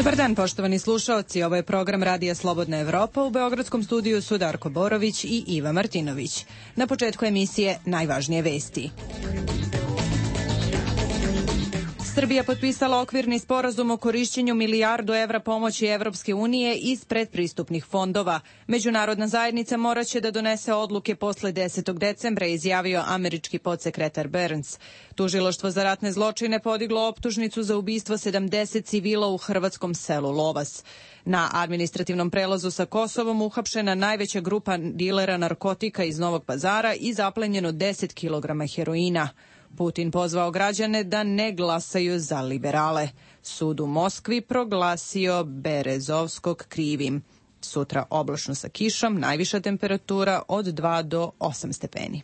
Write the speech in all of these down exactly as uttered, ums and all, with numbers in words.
Dobar dan, poštovani slušaoci. Ovo je program Radija Slobodna Evropa. U beogradskom studiju su Darko Borović i Iva Martinović. Na početku emisije najvažnije vesti. Srbija potpisala okvirni sporazum o korišćenju milijardu evra pomoći Evropske unije iz predpristupnih fondova. Međunarodna zajednica moraće da donese odluke posle desetog decembra, izjavio američki podsekretar Burns. Tužilaštvo za ratne zločine podiglo optužnicu za ubistvo sedamdeset civila u hrvatskom selu Lovas. Na administrativnom prelazu sa Kosovom uhapšena najveća grupa dilera narkotika iz Novog Pazara i zaplenjeno deset kilograma heroina. Putin pozvao građane da ne glasaju za liberale. Sud u Moskvi proglasio Berezovskog krivim. Sutra oblačno sa kišom, najviša temperatura od dva do osam stepeni.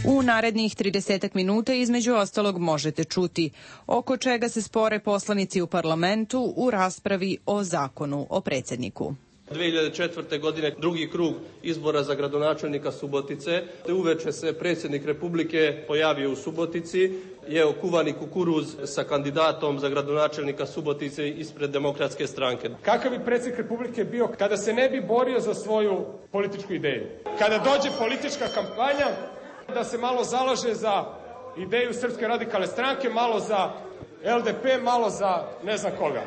U narednih tridesetak minuta između ostalog možete čuti oko čega se spore poslanici u parlamentu u raspravi o zakonu o predsjedniku. dve hiljade četvrte. godine drugi krug izbora za gradonačelnika Subotice. Uveče se predsjednik Republike pojavio u Subotici, jeo kuvani kukuruz sa kandidatom za gradonačelnika Subotice ispred Demokratske stranke. Kakav bi predsjednik Republike bio kada se ne bi borio za svoju političku ideju? Kada dođe politička kampanja, da se malo zalaže za ideju Srpske radikalne stranke, malo za L D P, malo za ne znam koga.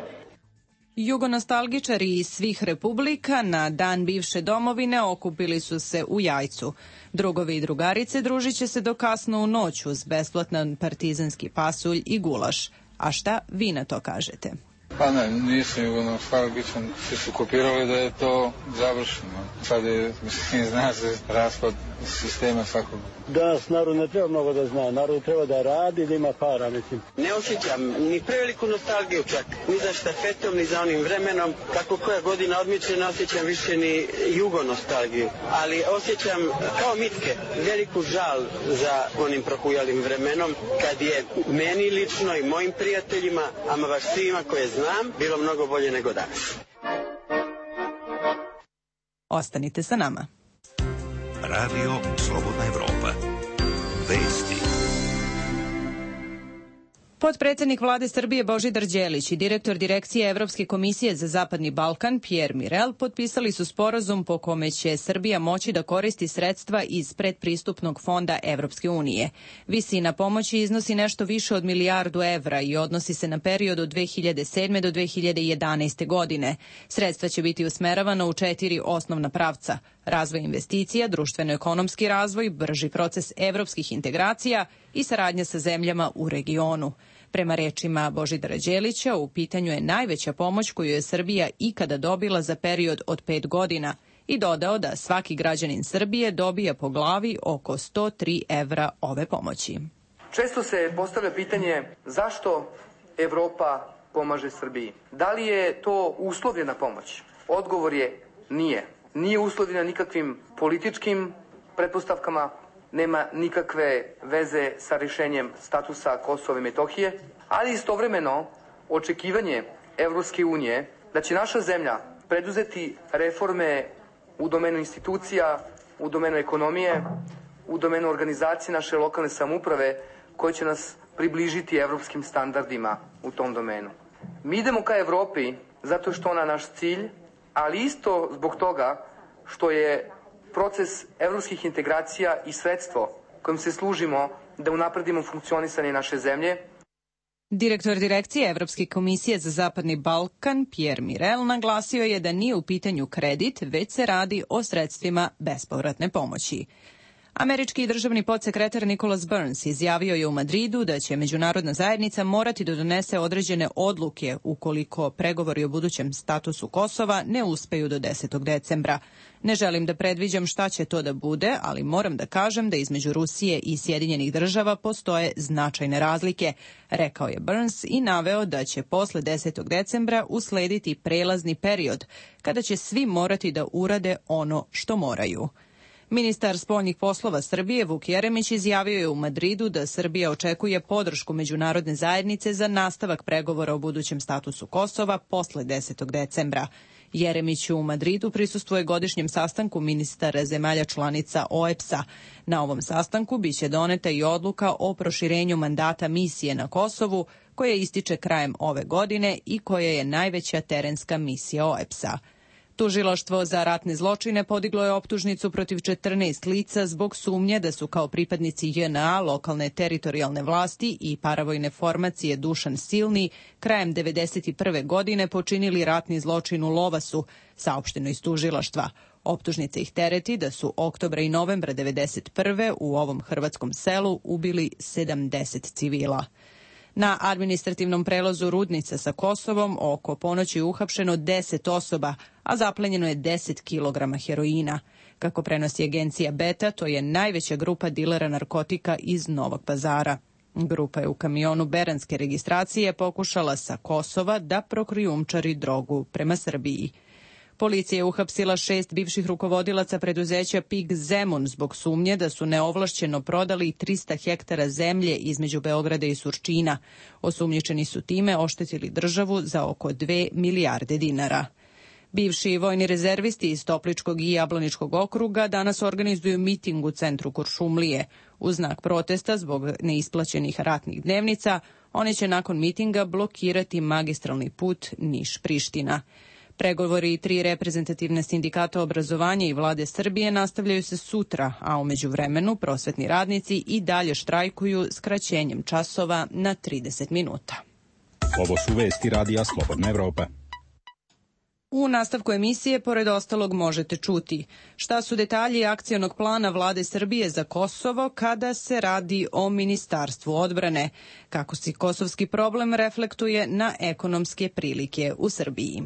Jugonostalgičari iz svih republika na dan bivše domovine okupili su se u Jajcu. Drugovi i drugarice družit će se do kasno u noć uz besplatan partizanski pasulj i gulaš. A šta vi na to kažete? Pa ne, nisam jugonostalgičan. Svi su kopirali da je to završeno. Sad je, mislim, zna se raspad sistema svakog. Danas narod ne treba mnogo da zna. Narod treba da radi, da ima para, mislim. Ne osjećam ni preveliku nostalgiju čak. Ni za štafetom, ni za onim vremenom. Kako koja godina odmiče, ne osjećam više ni jugonostalgiju. Ali osjećam kao mitke veliku žal za onim prohujalim vremenom kad je meni lično i mojim prijateljima, ama baš svima koje znam, bilo mnogo bolje nego danas. Ostanite sa nama. Radio Slobodna Evropa. Vesti. Potpredsednik vlade Srbije Božidar Đelić i direktor Direkcije Evropske komisije za Zapadni Balkan Pierre Mirel potpisali su sporazum po kome će Srbija moći da koristi sredstva iz predpristupnog fonda Evropske unije. Visina pomoći iznosi nešto više od milijardu evra i odnosi se na period od dve hiljade sedme do dve hiljade jedanaeste. godine. Sredstva će biti usmeravana u četiri osnovna pravca: razvoj investicija, društveno-ekonomski razvoj, brži proces evropskih integracija i saradnja sa zemljama u regionu. Prema rečima Božidara Đelića, u pitanju je najveća pomoć koju je Srbija ikada dobila za period od pet godina i dodao da svaki građanin Srbije dobija po glavi oko sto tri evra ove pomoći. Često se postavlja pitanje zašto Evropa pomaže Srbiji. Da li je to uslovljena pomoć? Odgovor je nije. Nije uslovljena nikakvim političkim pretpostavkama, nema nikakve veze sa rješenjem statusa Kosova i Metohije, ali istovremeno očekivanje Evropske unije da će naša zemlja preduzeti reforme u domenu institucija, u domenu ekonomije, u domenu organizacije naše lokalne samouprave koje će nas približiti evropskim standardima u tom domenu. Mi idemo ka Evropi zato što ona naš cilj, ali isto zbog toga što je proces evropskih integracija i sredstvo kojim se služimo da unapredimo funkcionisanje naše zemlje. Direktor Direkcije Evropske komisije za Zapadni Balkan Pierre Mirel naglasio je da nije u pitanju kredit, već se radi o sredstvima bespovratne pomoći. Američki državni podsekretar Nicholas Burns izjavio je u Madridu da će međunarodna zajednica morati da donese određene odluke ukoliko pregovori o budućem statusu Kosova ne uspeju do desetog decembra. Ne želim da predviđam šta će to da bude, ali moram da kažem da između Rusije i Sjedinjenih država postoje značajne razlike, rekao je Burns i naveo da će posle desetog decembra uslediti prelazni period, kada će svi morati da urade ono što moraju. Ministar spoljnih poslova Srbije Vuk Jeremić izjavio je u Madridu da Srbija očekuje podršku međunarodne zajednice za nastavak pregovora o budućem statusu Kosova posle desetog decembra. Jeremić u Madridu prisustvuje godišnjem sastanku ministara zemalja članica O E B S A. Na ovom sastanku biće doneta i odluka o proširenju mandata misije na Kosovu, koja ističe krajem ove godine i koja je najveća terenska misija O E B S A. Tužilaštvo za ratne zločine podiglo je optužnicu protiv četrnaest lica zbog sumnje da su kao pripadnici J N A, lokalne teritorijalne vlasti i paravojne formacije Dušan Silni krajem devedeset prve godine počinili ratni zločin u Lovasu, saopšteno iz tužilaštva. Optužnica ih tereti da su oktobra i novembra devedeset prve u ovom hrvatskom selu ubili sedamdeset civila. Na administrativnom prelazu Rudnica sa Kosovom oko ponoći je uhapšeno deset osoba, a zaplenjeno je deset kilograma heroina. Kako prenosi agencija Beta, to je najveća grupa dilera narkotika iz Novog Pazara. Grupa je u kamionu beranske registracije pokušala sa Kosova da prokrijumčari drogu prema Srbiji. Policija je uhapsila šest bivših rukovodilaca preduzeća P I G Zemun zbog sumnje da su neovlašćeno prodali trista hektara zemlje između Beograda i Surčina. Osumnjičeni su time oštetili državu za oko dve milijarde dinara. Bivši vojni rezervisti iz Topličkog i Jablaničkog okruga danas organizuju miting u centru Kuršumlije. U znak protesta zbog neisplaćenih ratnih dnevnica, oni će nakon mitinga blokirati magistralni put Niš-Priština. Pregovori tri reprezentativne sindikata obrazovanja i vlade Srbije nastavljaju se sutra, a u međuvremenu prosvetni radnici i dalje štrajkuju skraćenjem časova na trideset minuta. Ovo su vesti Radija Slobodna Evropa. U nastavku emisije, pored ostalog, možete čuti šta su detalji akcionog plana vlade Srbije za Kosovo kada se radi o Ministarstvu odbrane, kako se kosovski problem reflektuje na ekonomske prilike u Srbiji.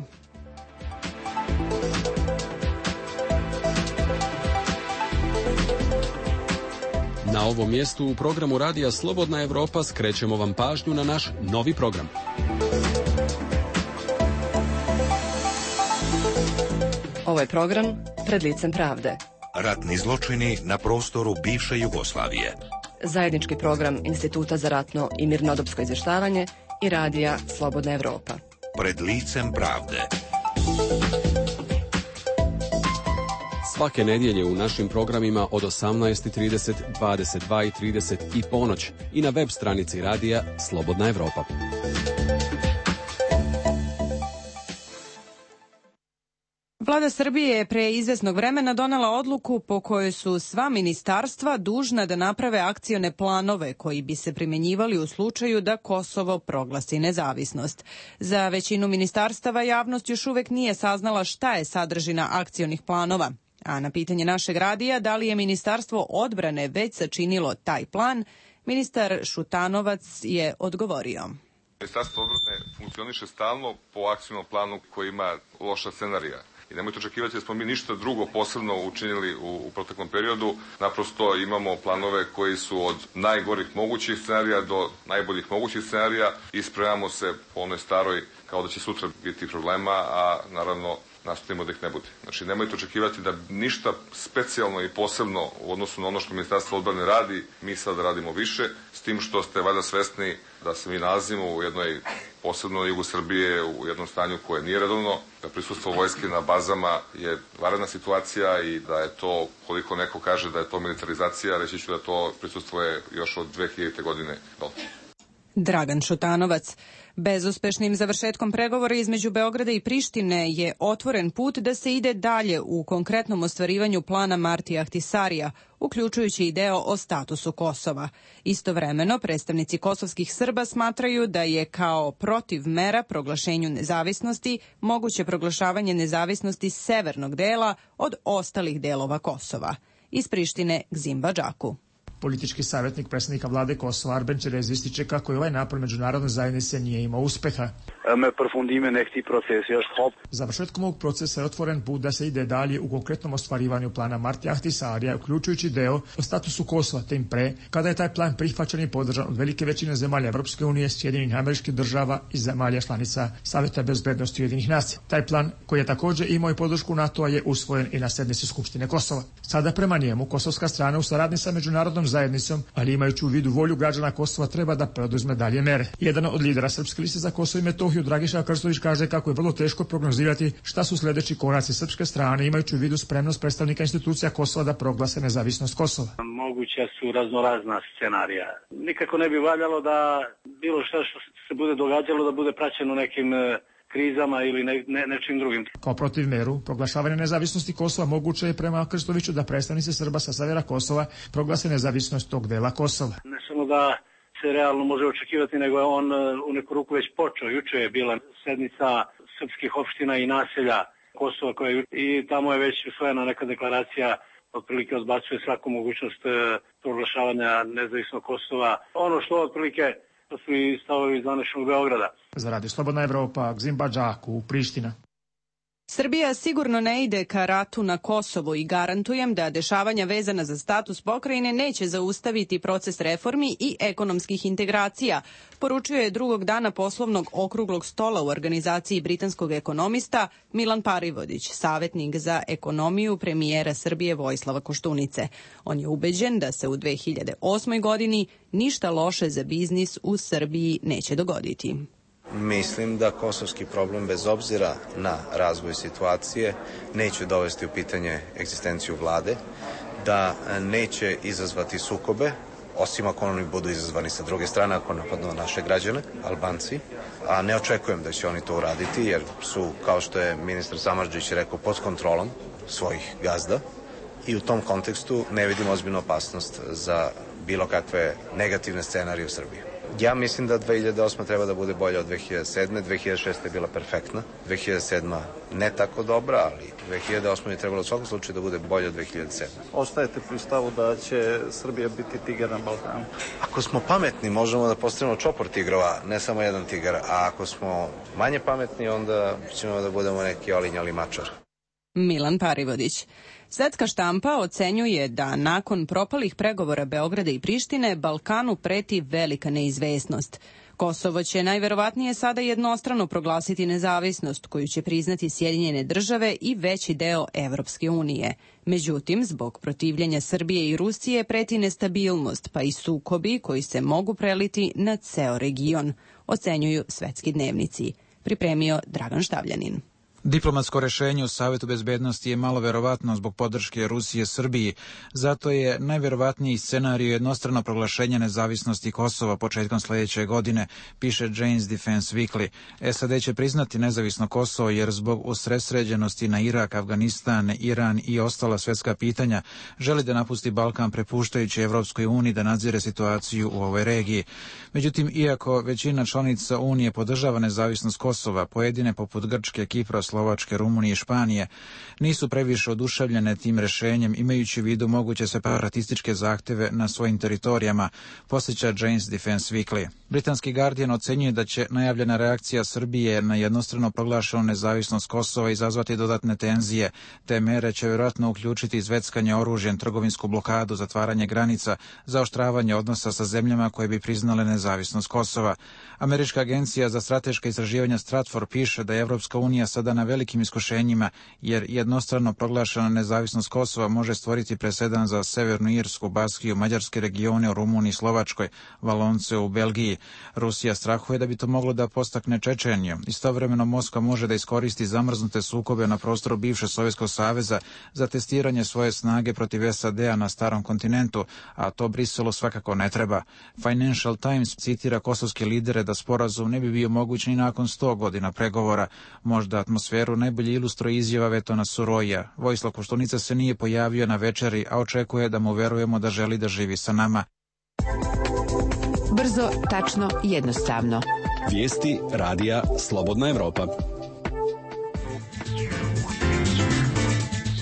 Na ovom mjestu u programu Radija Slobodna Evropa skrećemo vam pažnju na naš novi program. Ovo je program Pred licem pravde. Ratni zločini na prostoru bivše Jugoslavije. Zajednički program Instituta za ratno i mirnodopsko izvještavanje i Radija Slobodna Evropa. Pred licem pravde. Svake nedjelje u našim programima od osamnaest i trideset, dvadeset dva i trideset i ponoć i na web stranici Radija Slobodna Evropa. Vlada Srbije je pre izvesnog vremena donela odluku po kojoj su sva ministarstva dužna da naprave akcione planove koji bi se primjenjivali u slučaju da Kosovo proglasi nezavisnost. Za većinu ministarstava javnost još uvek nije saznala šta je sadržina akcionih planova. A na pitanje našeg radija da li je Ministarstvo odbrane već sačinilo taj plan, ministar Šutanovac je odgovorio. Ministarstvo odbrane funkcioniše stalno po akcionom planu koji ima loša scenarija. I nemojte očekivati da smo mi ništa drugo posebno učinili u, u proteklom periodu. Naprosto imamo planove koji su od najgorih mogućih scenarija do najboljih mogućih scenarija i spremamo se po onoj staroj kao da će sutra biti problema, a naravno nastojimo da ih ne bude. Znači, nemojte očekivati da ništa specijalno i posebno u odnosu na ono što Ministarstvo odbrane radi, mi sad radimo više, s tim što ste valjda svesni da se mi nalazimo u jednoj, posebno na jugu Srbije, u jednom stanju koje nije redovno, da prisustvo vojske na bazama je vanredna situacija i da je to, koliko neko kaže da je to militarizacija, reći ću da to prisustvo je još od dve hiljadite godine dole. Dragan Šutanovac. Bezuspešnim završetkom pregovora između Beograda i Prištine je otvoren put da se ide dalje u konkretnom ostvarivanju plana Martija Ahtisarija, uključujući i deo o statusu Kosova. Istovremeno, predstavnici kosovskih Srba smatraju da je kao protiv mera proglašenju nezavisnosti moguće proglašavanje nezavisnosti severnog dela od ostalih delova Kosova. Iz Prištine Gzim Badžaku. Politički savjetnik predsjednika vlade Kosova Arben Čerez ističe kako je ovaj napor međunarodne zajednice nije imao uspeha. Završetkom ovog procesa je otvoren put da se ide dalje u konkretnom ostvarivanju plana Martija Ahtisarija, uključujući deo o statusu Kosova, tim pre kada je taj plan prihvaćen i podržan od velike većine zemalja Evropske unije, Sjedinjenih Američkih Država i zemalja članica Saveta bezbednosti Ujedinjenih nacija. Taj plan, koji je također imao i podršku NATO-a, je usvojen i na sednici Skupštine Kosova. Sada prema njemu kosovska strana u saradnji sa međunarodnom zajednicom, ali imajući u vidu volju građana Kosova treba da preduzme dalje mere. Jedan od lidera Srpske liste za Kosovo i Metohiju, Dragiša Krstović, kaže kako je vrlo teško prognozirati šta su sljedeći koraci srpske strane, imajući u vidu spremnost predstavnika institucija Kosova da proglase nezavisnost Kosova. Moguća su raznorazna scenarija. Nikako ne bi valjalo da bilo šta što se bude događalo da bude praćeno nekim krizama ili ne, ne, nečim drugim. Kao protiv meru proglašavanja nezavisnosti Kosova moguće je prema Krstoviću da predstavnici Srba sa severa Kosova proglase nezavisnost tog dela Kosova. Ne samo da se realno može očekivati, nego je on u neku ruku već počeo. Juče je bila sednica srpskih opština i naselja Kosova koja je, i tamo je već usvojena neka deklaracija, otprilike odbacuje svaku mogućnost proglašavanja nezavisnog Kosova. Ono što otprilike to su i stavovi iz današnjeg Beograda. Za Radio Slobodna Evropa, Gzimba Džaku, Priština. Srbija sigurno ne ide ka ratu na Kosovo i garantujem da dešavanja vezana za status pokrajine neće zaustaviti proces reformi i ekonomskih integracija, poručio je drugog dana poslovnog okruglog stola u organizaciji britanskog ekonomista Milan Parivodić, savjetnik za ekonomiju premijera Srbije Vojislava Koštunice. On je ubeđen da se u dve hiljade osmoj godini ništa loše za biznis u Srbiji neće dogoditi. Mislim da kosovski problem, bez obzira na razvoj situacije, neće dovesti u pitanje egzistenciju vlade, da neće izazvati sukobe, osim ako oni budu izazvani sa druge strane, ako napadnu naše građane, Albanci, a ne očekujem da će oni to uraditi, jer su, kao što je ministar Samardžić rekao, pod kontrolom svojih gazda i u tom kontekstu ne vidim ozbiljnu opasnost za bilo kakve negativne scenarije u Srbiji. Ja mislim da dve hiljade osma treba da bude bolja od dve hiljade sedme. dve hiljade šeste je bila perfektna. dve hiljade sedma ne tako dobra, ali dve hiljade osma je trebalo u svakom slučaju da bude bolja od dve hiljade sedme. Ostajete pri stavu da će Srbija biti tigar na Balkanu? Ako smo pametni, možemo da postavimo čopor tigrova, ne samo jedan tigar. A ako smo manje pametni, onda ćemo da budemo neki olinjali mačar. Milan Parivodić. Svetska štampa ocenjuje da nakon propalih pregovora Beograda i Prištine Balkanu preti velika neizvesnost. Kosovo će najverovatnije sada jednostrano proglasiti nezavisnost koju će priznati Sjedinjene države i veći deo Evropske unije. Međutim, zbog protivljenja Srbije i Rusije preti nestabilnost, pa i sukobi koji se mogu preliti na ceo region, ocenjuju svetski dnevnici. Pripremio Dragan Štavljanin. Diplomatsko rešenje u Savetu bezbednosti je malo verovatno zbog podrške Rusije Srbiji, zato je najverovatniji scenarij jednostrano proglašenje nezavisnosti Kosova početkom sljedeće godine, piše Jane's Defense Weekly. S A D će priznati nezavisno Kosovo jer zbog usredsređenosti na Irak, Afganistan, Iran i ostala svetska pitanja želi da napusti Balkan prepuštajući Evropskoj uniji da nadzire situaciju u ovoj regiji. Međutim, iako većina članica Unije podržava nezavisnost Kosova, pojedine poput Grčke, Kipra, Slovačke, Rumunije i Španije nisu previše oduševljene tim rešenjem, imajući u vidu moguće separatističke zahteve na svojim teritorijama, posjeća Jane's Defense Weekly. Britanski Guardian ocenjuje da će najavljena reakcija Srbije na jednostrano proglašenu nezavisnost Kosova izazvati dodatne tenzije. Te mere će vjerojatno uključiti izveckanje oružjem, trgovinsku blokadu, zatvaranje granica, zaoštravanje odnosa sa zemljama koje bi priznale nezavisnost Kosova. Američka agencija za strateška istraživanja Stratfor piše da je Evropska unija sada na velikim iskušenjima, jer jednostrano proglašena nezavisnost Kosova može stvoriti presedan za Severnu Irsku, Baskiju, mađarske regione u Rumuniji, Slovačkoj, Valonce u Belgiji. Rusija strahuje da bi to moglo da postakne Čečeniju. Istovremeno Moskva može da iskoristi zamrznute sukobe na prostoru bivše Sovjetskog saveza za testiranje svoje snage protiv S A D-a na starom kontinentu, a to Briselu svakako ne treba. Financial Times citira kosovske lidere da sporazum ne bi bio moguć ni nakon sto godina pregovora. Možda atmosferu najbolje ilustruje izjava Vetona Suroja. Vojislav Koštunica se nije pojavio na večeri, a očekuje da mu verujemo da želi da živi sa nama. Brzo, tačno, jednostavno. Vijesti radija Slobodna Evropa.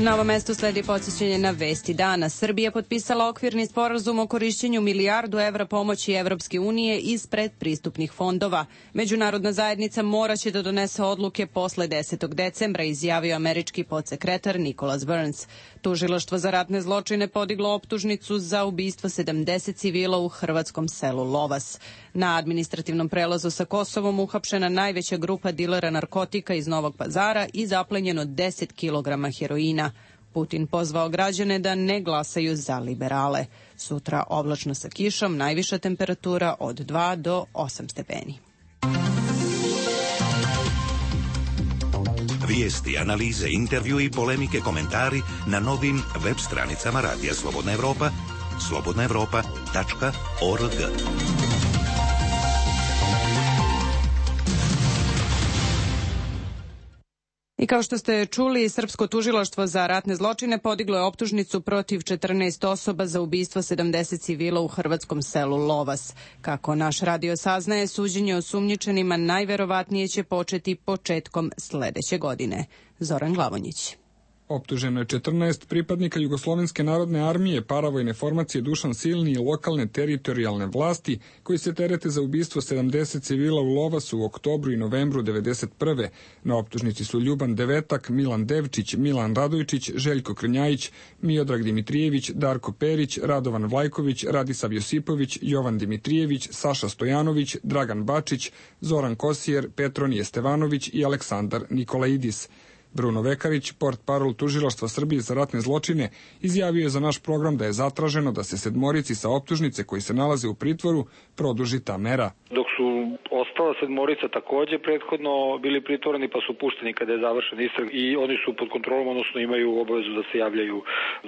Na ovom mestu sledi podsjećanje na vesti dana. Srbija potpisala okvirni sporazum o korišćenju milijardu evra pomoći Evropske unije iz predpristupnih fondova. Međunarodna zajednica moraće da donese odluke posle desetog decembra, izjavio američki podsekretar Nicholas Burns. Tužilaštvo za ratne zločine podiglo optužnicu za ubistvo sedamdeset civila u hrvatskom selu Lovas. Na administrativnom prelazu sa Kosovom uhapšena najveća grupa dilera narkotika iz Novog Pazara i zaplenjeno deset kilograma heroina. Putin pozvao građane da ne glasaju za liberale. Sutra oblačno sa kišom, najviša temperatura od dva do osam stepeni. Vijesti, analize, intervju i polemike, komentari na novim web stranicama Radija Slobodna Evropa, slobodna evropa tačka org. I kao što ste čuli, Srpsko tužilaštvo za ratne zločine podiglo je optužnicu protiv četrnaest osoba za ubistvo sedamdeset civila u hrvatskom selu Lovas. Kako naš radio saznaje, suđenje osumnjičenima najverovatnije će početi početkom sledeće godine. Zoran Glavonjić. Optuženo je četrnaest pripadnika Jugoslovenske narodne armije, paravojne formacije Dušan Silni i lokalne teritorijalne vlasti, koji se terete za ubistvo sedamdeset civila u Lovasu u oktobru i novembru devedeset prve. Na optužnici su Ljuban Devetak, Milan Devčić, Milan Radojčić, Željko Krnjajić, Miodrag Dimitrijević, Darko Perić, Radovan Vlajković, Radisav Josipović, Jovan Dimitrijević, Saša Stojanović, Dragan Bačić, Zoran Kosijer, Petronije Stevanović i Aleksandar Nikolaidis. Bruno Vekarić, portparol Tužilaštva Srbije za ratne zločine, izjavio je za naš program da je zatraženo da se sedmorici sa optužnice koji se nalaze u pritvoru produži ta mera. Dok su ostala sedmorica takođe prethodno bili pritvoreni pa su pušteni kada je završen istrag i oni su pod kontrolom, odnosno imaju obavezu da se javljaju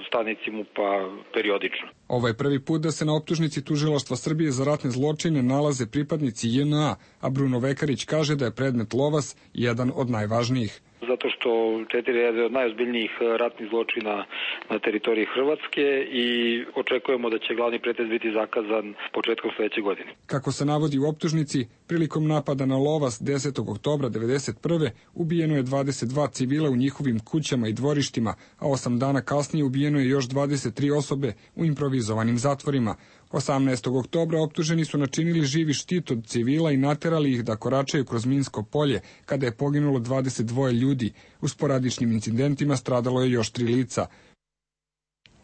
stanici MUP-a periodično. Ovo je prvi put da se na optužnici Tužilaštva Srbije za ratne zločine nalaze pripadnici J N A, a Bruno Vekarić kaže da je predmet Lovas jedan od najvažnijih. Zato što četiri je od najozbiljnijih ratnih zločina na teritoriji Hrvatske i očekujemo da će glavni pretres biti zakazan početkom sledeće godine. Kako se navodi u optužnici, prilikom napada na Lovas desetog oktobra devedeset prve ubijeno je dvadeset dva civila u njihovim kućama i dvorištima, a osam dana kasnije ubijeno je još dvadeset tri osobe u improvizovanim zatvorima. osamnaestog oktobra optuženi su načinili živi štit od civila i naterali ih da koračaju kroz minsko polje, kada je poginulo dvadeset dva ljudi. U sporadičnim incidentima stradalo je još tri lica.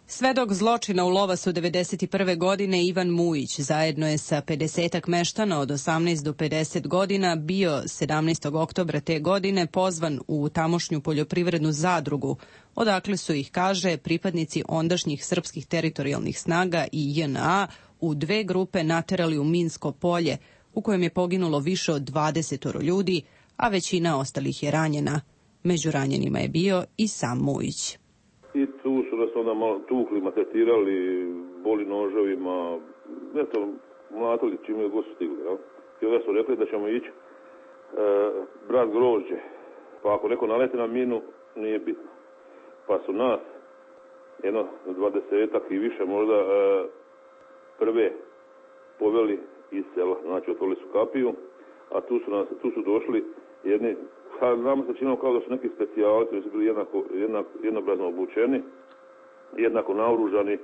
Svedok zločina u Lovasu devedeset prve godine Ivan Mujić zajedno je sa pedesetak meštana od osamnaest do pedeset godina bio sedamnaestog oktobra te godine pozvan u tamošnju poljoprivrednu zadrugu, odakle su ih, kaže, pripadnici ondašnjih srpskih teritorijalnih snaga i J N A u dve grupe naterali u minsko polje, u kojem je poginulo više od dvadeset ljudi, a većina ostalih je ranjena. Među ranjenima je bio i sam Mujić. I tu su nas onda malo tukli, maltretirali, boli noževima, eto, mlatili čim je god su stigli, jel? I onda su rekli da ćemo ići e, brat grožđe, pa ako neko naleti na minu, nije bitno. Pa su nas, jedno dvadesetak i više možda, e, prve poveli iz sela, znači otvorili su kapiju, a tu su, nas, tu su došli jedni, nama se činilo kao da su neki specijalci, koji su bili jednako, jednako, jednobrazno obučeni, jednako naoružani,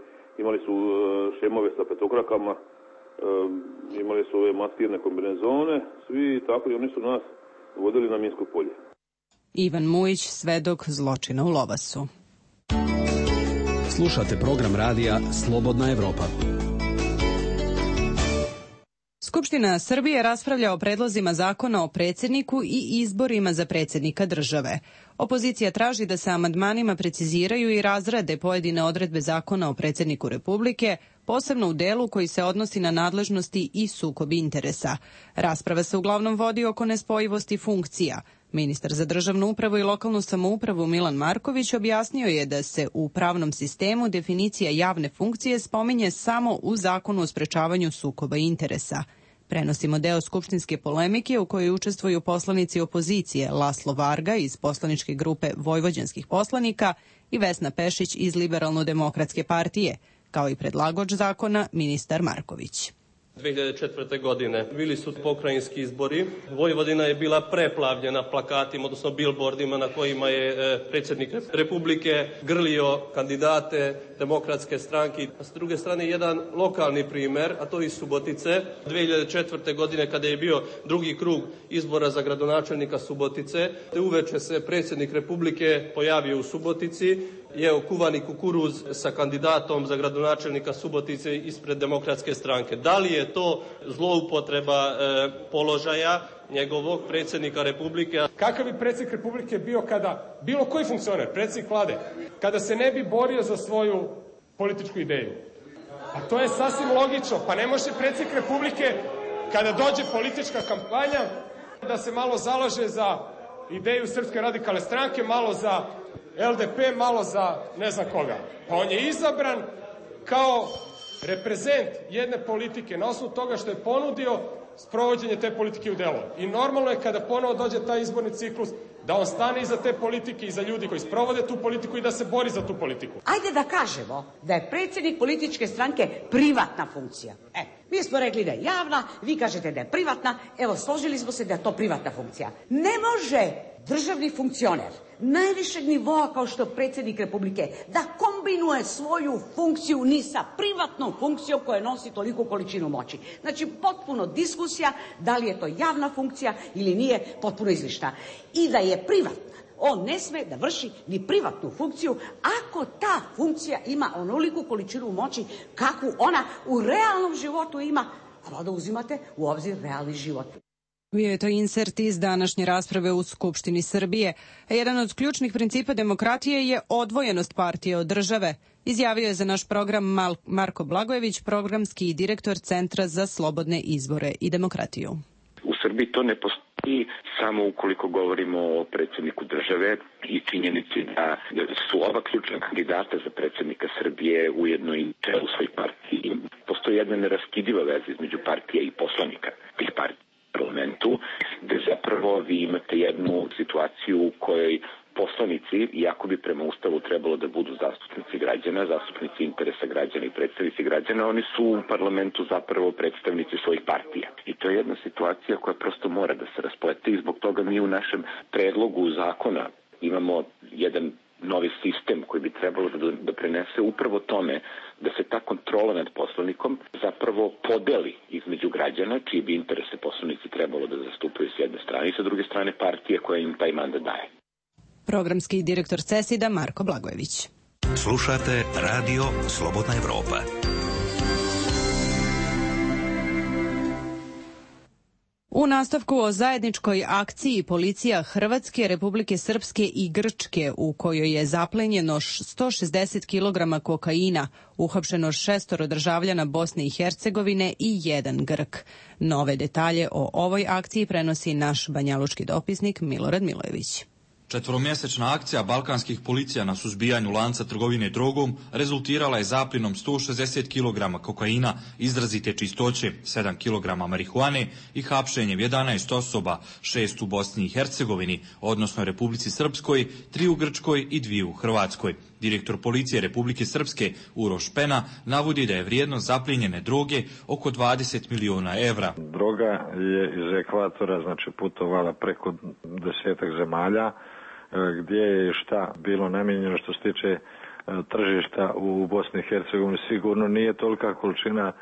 imali su uh, šemove sa petokrakama, uh, imali su ove maskirne kombinezone, svi tako i oni su nas vodili na minsko polje. Ivan Mujić, svedok zločina u Lovasu. Slušate program radija Slobodna Evropa. Skupština Srbije raspravlja o predlozima zakona o predsjedniku i izborima za predsjednika države. Opozicija traži da se amandmanima preciziraju i razrade pojedine odredbe zakona o predsjedniku Republike, posebno u delu koji se odnosi na nadležnosti i sukob interesa. Rasprava se uglavnom vodi oko nespojivosti funkcija. Ministar za državnu upravu i lokalnu samoupravu Milan Marković objasnio je da se u pravnom sistemu definicija javne funkcije spominje samo u zakonu o sprečavanju sukoba interesa. Prenosimo deo skupštinske polemike u kojoj učestvuju poslanici opozicije Laslo Varga iz poslaničke grupe Vojvođanskih poslanika i Vesna Pešić iz Liberalno-demokratske partije, kao i predlagač zakona ministar Marković. dve hiljade četvrte. godine bili su pokrajinski izbori. Vojvodina je bila preplavljena plakatima, odnosno bilbordima na kojima je predsjednik Republike grlio kandidate demokratske stranke. A s druge strane jedan lokalni primer, a to iz Subotice. dve hiljade četvrte. godine kada je bio drugi krug izbora za gradonačelnika Subotice, uveče se predsjednik Republike pojavio u Subotici, jeo kuvani kukuruz sa kandidatom za gradonačelnika Subotice ispred demokratske stranke. Da li je to zloupotreba e, položaja njegovog predsjednika Republike. Kakav bi predsjednik Republike bio kada bilo koji funkcioner, predsjednik vlade, kada se ne bi borio za svoju političku ideju? A to je sasvim logično. Pa ne može predsjednik Republike kada dođe politička kampanja da se malo zalaže za ideju Srpske radikalne stranke, malo za L D P, malo za ne znam koga. Pa on je izabran kao reprezent jedne politike na osnovu toga što je ponudio sprovođenje te politike u delo. I normalno je kada ponovo dođe taj izborni ciklus da on stane iza te politike, iza ljudi koji sprovode tu politiku i da se bori za tu politiku. Ajde da kažemo da je predsjednik političke stranke privatna funkcija. E, mi smo rekli da je javna, vi kažete da je privatna, evo složili smo se da je to privatna funkcija. Ne može državni funkcioner najvišeg nivoa kao što je predsjednik Republike da kombinuje svoju funkciju ni sa privatnom funkcijom koja nosi toliku količinu moći. Znači potpuno diskusija da li je to javna funkcija ili nije, potpuno izlišna. I da je privatna, on ne sme da vrši ni privatnu funkciju ako ta funkcija ima onoliku količinu moći kakvu ona u realnom životu ima, a valjda uzimate u obzir realni život. Bio je to insert iz današnje rasprave u Skupštini Srbije. Jedan od ključnih principa demokratije je odvojenost partije od države, izjavio je za naš program Mal- Marko Blagojević, programski direktor Centra za slobodne izbore i demokratiju. U Srbiji to ne postoji samo ukoliko govorimo o predsjedniku države i činjenici da su oba ključna kandidata za predsjednika Srbije ujedno i čelu svojih partiji. Postoji jedna neraskidiva veza između partije i poslanika tih partija parlamentu, gde zapravo vi imate jednu situaciju u kojoj poslanici, iako bi prema Ustavu trebalo da budu zastupnici građana, zastupnici interesa građana i predstavnici građana, oni su u parlamentu zapravo predstavnici svojih partija. I to je jedna situacija koja prosto mora da se rasplete i zbog toga mi u našem predlogu zakona imamo jedan novi sistem koji bi trebalo da doprinese upravo tome da se ta kontrola nad poslanikom zapravo podeli između građana, čiji bi interese poslanici trebalo da zastupaju s jedne strane i sa druge strane partije koja im taj mandat daje. Programski direktor CESID-a Marko Blagojević. Slušate Radio Slobodna Evropa. U nastavku o zajedničkoj akciji policija Hrvatske, Republike Srpske i Grčke u kojoj je zaplenjeno sto šezdeset kilograma kokaina, uhapšeno šestoro državljana Bosne i Hercegovine i jedan Grk. Nove detalje o ovoj akciji prenosi naš banjalučki dopisnik Milorad Milojević. Četvoromjesečna akcija balkanskih policija na suzbijanju lanca trgovine drogom rezultirala je zapljenom sto šezdeset kilograma kokaina izrazite čistoće, sedam kilograma marihuane i hapšenjem jedanaest osoba, šest u Bosni i Hercegovini, odnosno Republici Srpskoj, tri u Grčkoj i dvije u Hrvatskoj. Direktor policije Republike Srpske Uroš Pena navodi da je vrijednost zapljenjene droge oko dvadeset miliona evra. Droga je iz ekvatora, znači putovala preko desetak zemalja, gdje je šta bilo namijenjeno što se tiče tržišta u Bosni i Hercegovini. Sigurno nije tolika količina,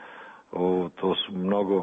to su mnogo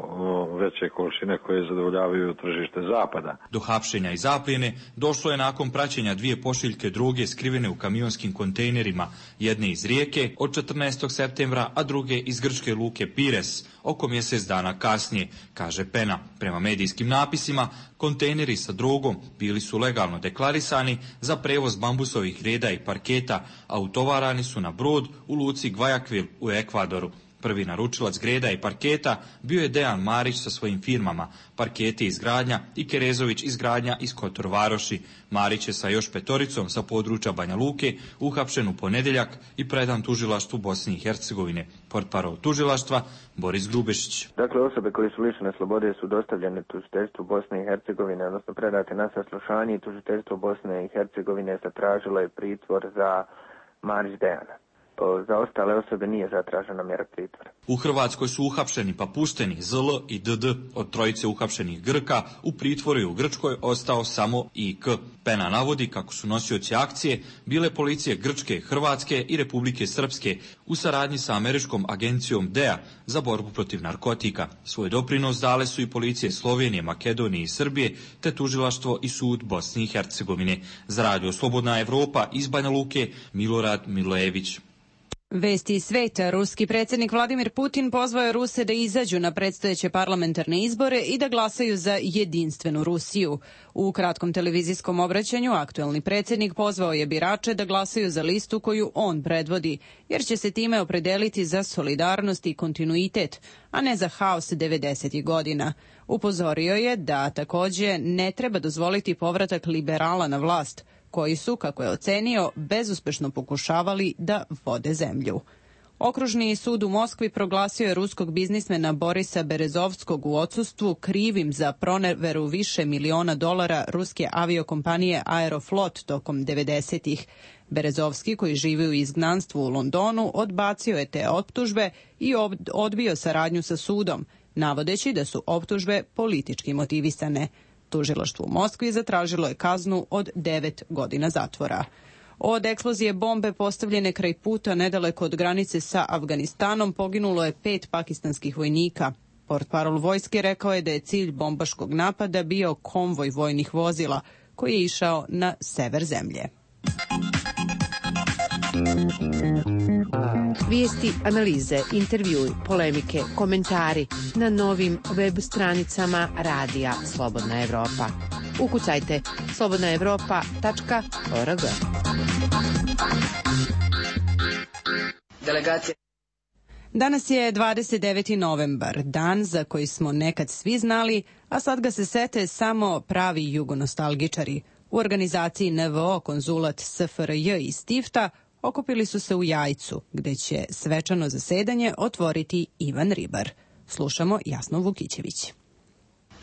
veće količine koje zadovoljavaju tržište zapada. Do hapšenja i zapljene došlo je nakon praćenja dvije pošiljke droge skrivene u kamionskim kontejnerima, jedne iz Rijeke od četrnaestog septembra, a druge iz grčke luke Pires oko mjesec dana kasnije, kaže Pena. Prema medijskim napisima, kontejneri sa drogom bili su legalno deklarisani za prevoz bambusovih greda i parketa, a utovarani su na brod u luci Guayaquil u Ekvadoru. Prvi naručilac greda i parketa bio je Dejan Marić sa svojim firmama Parketi izgradnja i Kerezović izgradnja iz Kotor Varoši. Marić je sa još petoricom sa područja Banja Luke uhapšen u ponedjeljak i predan tužilaštvu Bosne i Hercegovine. Portparol tužilaštva Boris Grubešić. Dakle, osobe koje su lišene slobode su dostavljene tužiteljstvu Bosne i Hercegovine, odnosno predate na saslušanje i tužiteljstvo Bosne i Hercegovine zatražilo je pritvor za Marić Dejana. Za ostale osobe nije zatražena mjera pritvora. U Hrvatskoj su uhapšeni pa pušteni Z L i D D. Od trojice uhapšenih Grka u pritvoru i u Grčkoj ostao samo I K. Pena navodi kako su nosioci akcije bile policije Grčke, Hrvatske i Republike Srpske u saradnji sa američkom agencijom D E A za borbu protiv narkotika. Svoj doprinos dale su i policije Slovenije, Makedonije i Srbije, te tužilaštvo i sud Bosne i Hercegovine. Za Radio Slobodna Evropa iz Banja Luke, Milorad Milojević. Vesti iz sveta. Ruski predsjednik Vladimir Putin pozvao je Ruse da izađu na predstojeće parlamentarne izbore i da glasaju za jedinstvenu Rusiju. U kratkom televizijskom obraćanju aktuelni predsjednik pozvao je birače da glasaju za listu koju on predvodi, jer će se time opredeliti za solidarnost i kontinuitet, a ne za haos devedesetih godina. Upozorio je da takođe ne treba dozvoliti povratak liberala na vlast, koji su, kako je ocenio, bezuspešno pokušavali da vode zemlju. Okružni sud u Moskvi proglasio je ruskog biznismena Borisa Berezovskog u odsustvu krivim za proneveru više miliona dolara ruske aviokompanije Aeroflot tokom devedesetih. Berezovski, koji živi u izgnanstvu u Londonu, odbacio je te optužbe i odbio saradnju sa sudom, navodeći da su optužbe politički motivisane. Tužilaštvo u Moskvi zatražilo je kaznu od devet godina zatvora. Od eksplozije bombe postavljene kraj puta nedaleko od granice sa Afganistanom poginulo je pet pakistanskih vojnika. Portparol vojske rekao je da je cilj bombaškog napada bio konvoj vojnih vozila koji je išao na sever zemlje. Vijesti, analize, intervjui, polemike, komentari na novim web stranicama Radija Slobodna Evropa. Ukucajte slobodna evropa tačka org. Delegacija Danas je dvadeset deveti novembar, dan za koji smo nekad svi znali, a sad ga se sete samo pravi jugonostalgičari. U organizaciji N V O Konzulat S F R J iz Tifta okupili su se u Jajcu, gde će svečano zasedanje otvoriti Ivan Ribar. Slušamo Jasnu Vukićević.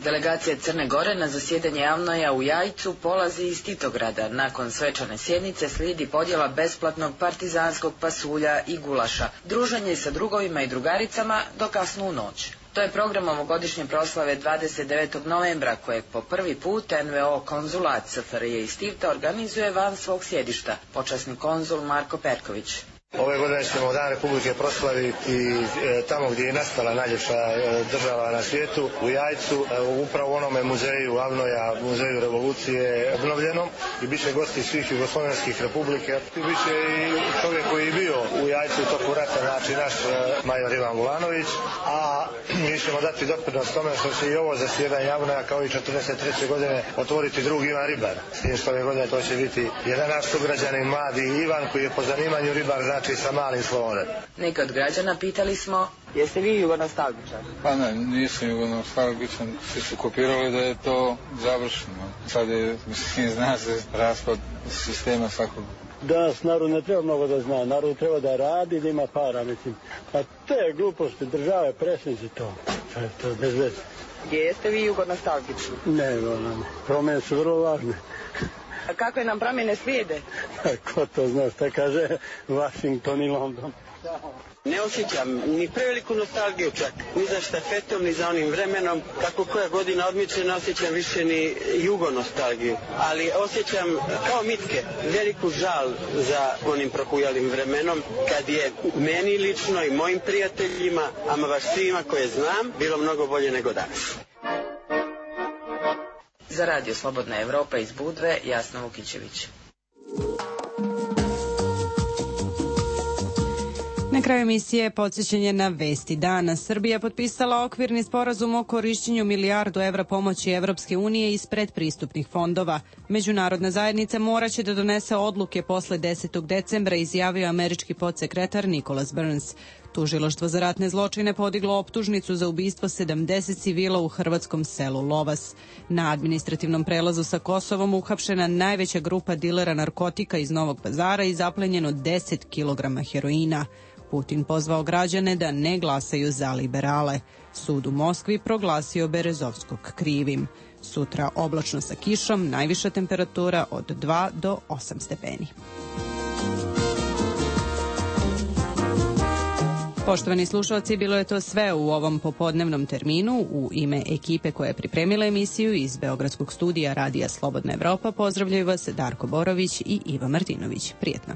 Delegacija Crne Gore na zasjedanje Avnoja u Jajcu polazi iz Titograda. Nakon svečane sjednice slijedi podjela besplatnog partizanskog pasulja i gulaša, druženje sa drugovima i drugaricama do kasnu noć. To je program ovogodišnje proslave dvadeset devetog novembra, kojeg po prvi put N V O Konzulat S F R J iz Tifta organizuje van svog sjedišta, počasni konzul Marko Perković. Ove godine ćemo Dan Republike proslaviti e, tamo gdje je nastala najljepša e, država na svijetu, u Jajcu, e, upravo u onome muzeju Avnoja, muzeju revolucije obnovljenom, i bit će gosti svih jugoslovenskih republike. Bit će i čovjek koji je bio u Jajcu u toku rata, znači naš e, major Ivan Vulanović, a mi ćemo dati doprinos tome što će i ovo zasjedanje Avnoja kao i četrdeset treće godine otvoriti drugi Ivan Ribar. S tim što ove godine to će biti jedan naš sugrađanin, mladi Ivan, koji je po zanimanju ribar, znači sa malim slovom. Neki od građana pitali smo, jeste vi jugonostalgičar? Pa ne, nisam jugonostalgičan, svi su kopirali da je to završeno. Sad je, mislim, zna se raspad sistema svakog. Danas narod ne treba mnogo da zna, narod treba da radi, da ima para, mislim. A te gluposti države, presnici to, to je to bez veze. Gdje jeste vi jugonostalgični? Ne, ne, promjene su vrlo važne. A kakve nam promjene slijede? Ko to zna, šta kaže Washington i London. Ne osjećam ni preveliku nostalgiju čak, ni za štafetom, ni za onim vremenom. Kako koja godina odmiče, ne osjećam više ni jugonostalgiju. Ali osjećam kao mitke veliku žal za onim prohujalim vremenom, kad je meni lično i mojim prijateljima, ama baš svima koje znam, bilo mnogo bolje nego danas. Za Radio Slobodna Evropa iz Budve, Jasna Vukićević. Na kraju emisije podsjećanje na vesti dana. Srbija potpisala okvirni sporazum o korišćenju milijardu evra pomoći Evropske unije iz predpristupnih fondova. Međunarodna zajednica moraće da donese odluke posle desetog decembra, izjavio američki podsekretar Nicholas Burns. Tužilaštvo za ratne zločine podiglo optužnicu za ubistvo sedamdeset civila u hrvatskom selu Lovas. Na administrativnom prelazu sa Kosovom uhapšena najveća grupa dilera narkotika iz Novog Pazara i zaplenjeno deset kilograma heroina. Putin pozvao građane da ne glasaju za liberale. Sud u Moskvi proglasio Berezovskog krivim. Sutra oblačno sa kišom, najviša temperatura od dva do osam stepeni. Poštovani slušalci, bilo je to sve u ovom popodnevnom terminu. U ime ekipe koja je pripremila emisiju iz Beogradskog studija Radija Slobodna Evropa pozdravljaju vas Darko Borović i Iva Martinović. Prijetno.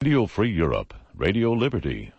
Radio Free Europe, Radio Liberty,